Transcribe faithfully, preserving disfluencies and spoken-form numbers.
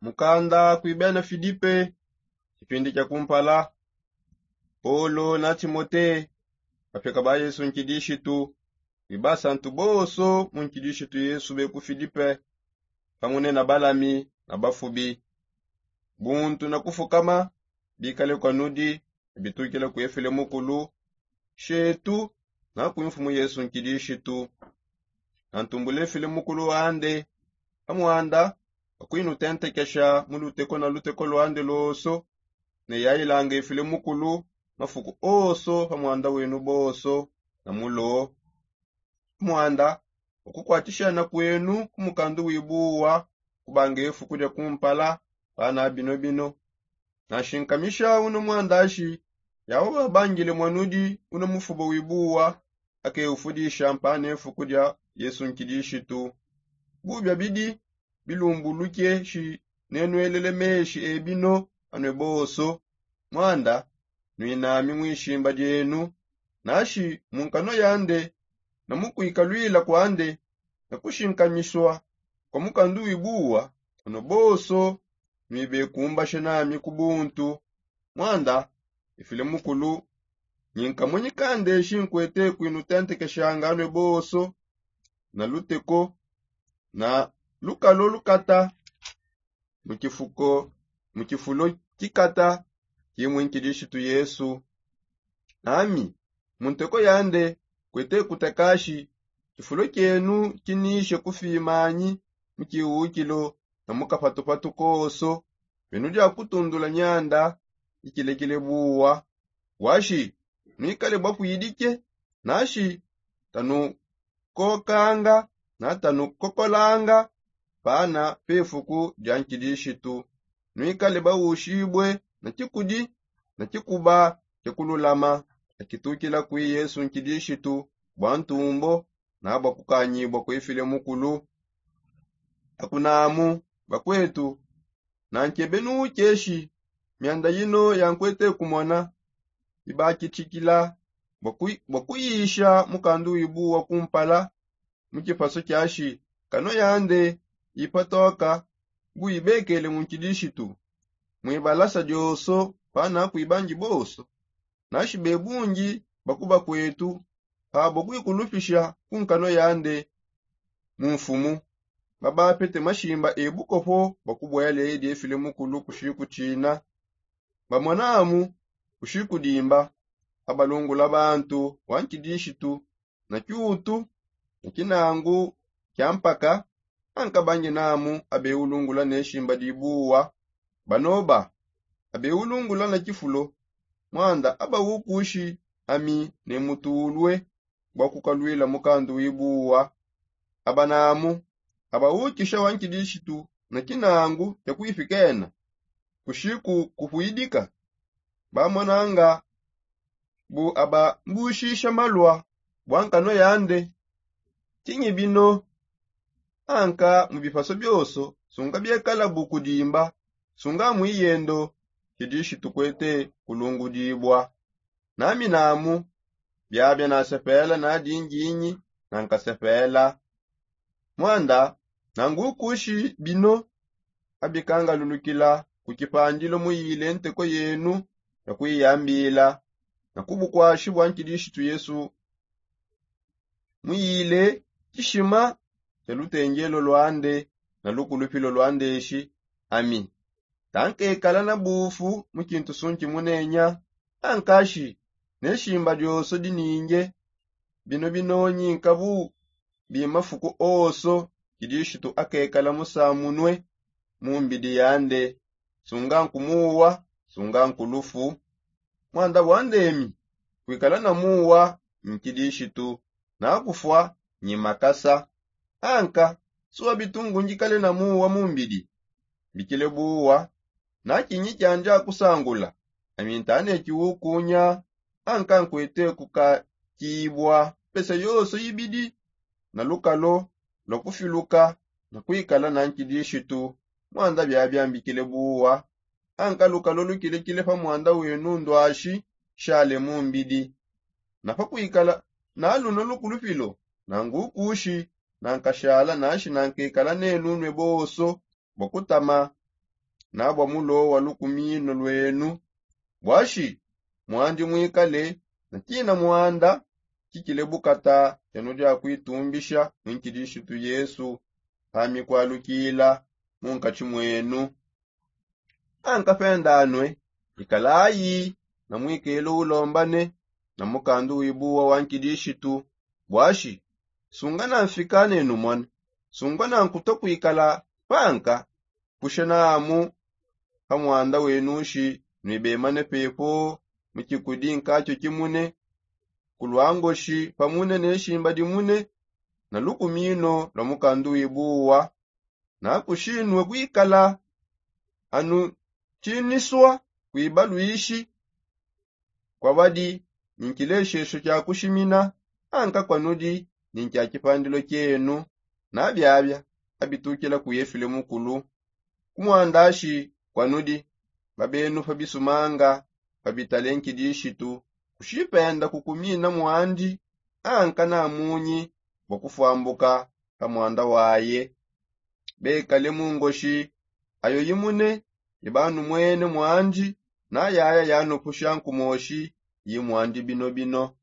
Mukanda kuibena filipe. Kipindi kia kumpala. Polo na timote, bapeka ba yesu nkidishitu, kuiba santu bonso mu nkidishitu yesu be ku filipe, pamune na balami na bafubi. Buntu na kufukama bikale kwa nudi, bitukile kuefile mukulu shetu na kuimfumu yesu nkidishitu. Na ntumbule file mukulu wande, amwanda akuinutentekesha mu luteko na luteko lwande loso. Ne yailanga ifile mukulu mafuku oso pa mwanda wenu boso na mulo. Mwanda wakukwatishana kwenu ku mukandu wibuwa, kubanga ifuku dia kumpala pana bino bino. Nashinkamisha uno mwandashi, yawa babangile mwanudi uno mufubo wibuwa, akeufudisha mpana ifuku dia yesu nkidishitu. Bubia bidi bilumbuluke shi nenwelele meshi ebino anwe boso. Mwanda nwinami mwishimba dienu, nashi mu nkanwa yande na mu kuikalwila kwande na kushinkamishwa kwa mukandu wibuwa, ano boso nwibekumbashe nami ku buntu. Mwanda ifile mukulu, nyinkamonyi kandeshi nkwete kuinutentekeshanga anwe boso na luteko na lukalo lukata mu kifuko mu kifulo kikata kimwe nkidishitu yesu. Nami mu nteko yande kwete kutakashi kifulo kienu kinishe kufimanyi mu kiwukilo na mu kapatupatu koso. Benu dia kutundula nyanda ikilekile buwa. Washi nwikale bwa kwidike nashi tanukokanga na tanukokolanga pana pefuku dia nkidishitu. Nwikale bawushibue na kikudi na kikuba kia kululama akitukila kwi yesu nkidishitu bwa ntumbo na bwa kukanyibua kwefile mukulu. Akunamu bakwetu, na nkebe nuukeshi mianda yino yankwete kumona ibakitshikila bua kuyisha mukandu wibuwa kumpala. Mu kipaso kiashi kano yande ipatoka bu ibekele mu nkidishitu muibalasa dioso pana kuibangi boso. Nashi bebungi bakuba kwetu pabo kuikulupisha ku nkano yande mu mfumu babapete mashimba ebukopo bua kubuela edi efile mukulu kushiku tshina. Bamonamu kushiku dimba abalungula bantu wa nkidishitu na kiutu na kinangu kia mpaka. Ankabangi namu abeulungula ne shimba dibuwa. Banoba abeulungula na kifulo. Mwanda abawukushi ami ne mutulue bua kukaluila mukandu wibuwa. Abanamu abawukisha wa nkidishitu na kinangu kia kuipikena kushiku kupuidika. Bamonanga bu abambushisha malua bua nkano yande. Tshinyi bino? Anka mu bipaso bioso sunga biekala bu kudimba sunga mu iyendo. Tshidishitu kuete kulungudibua. Nami namu biabia nasepela na dinginyi na nkasepela. Mwanda nangukushi bino abikangalulukila ku kipandilo muyile nteko yenu ya kuiyambila na ku bukwashi bua nkidishitu yesu. Muyile tshishima tshia lutengelo luande na lukulupilo luandeshi. Ami tankekala na bufu mu kintu sunki munenya ankashi ne shimba dioso dininge. Bino binonyi nkabu bimafuku oso kidishitu akekala musamunue mu mbidi yande. Sunga nkumuwa sunga nkulufu. Mwanda bwandemi kuikala na muwa nkidishitu na kufua nyi makasa. Anka suwa bitungu ngikale na muwa mu mbidi mbikile buwa. Na kinyi kiandi akusangula ami ntane kiwukunya. Anka nkwete kukakibua pesa yoso ibidi na lukalo lua kufiluka na kuikala na nkidishitu. Mwanda biabia mbikile buwa. Anka lukalo lukilekile pa mwanda wenu nduashi shale mu mbidi. Na pa kuikala na luno lukulupilo nangukushi nankashala nashi nankekala nenu nue bonso bua kutama nabua mulo wa lukumino lwenu. Buashi muandi muikale na tina muanda tshikile bukata eno dia kuitumbisha mu nkidishitu yesu pa mikwalukila mu nkatshi mwenu. Anka pendanue ikalayi na muikelo ulombane na mukandu wibuwa wa nkidishitu. Buashi sungana mfika nenu mona sungana nkuto kuikala panka kushanamu pa muanda wenushi nuibemane pepo mu tshikudi nkatshio tshimune ku luangoshi pamune ne shimba dimune na lukumino lua mukandu wibuwa. Nakushinue kuikala anu tshinisua kuiba luishi kuabadi ni ntshileshesho tshia kushimina anka kuanudi ni ntshia tshipandilo tshienu. Na biabia abitukila ku efile mukulu ku muandashi kuanudi babenu pa bisumanga pa bitale nkidishitu kushipenda kukumina muandi anka na munyi bua kufuambuka pa muanda waye. Bekale mu ngoshi ayo imune ibanumwene muandi na yaya yanupusha nkumoshi yi muandi binobino.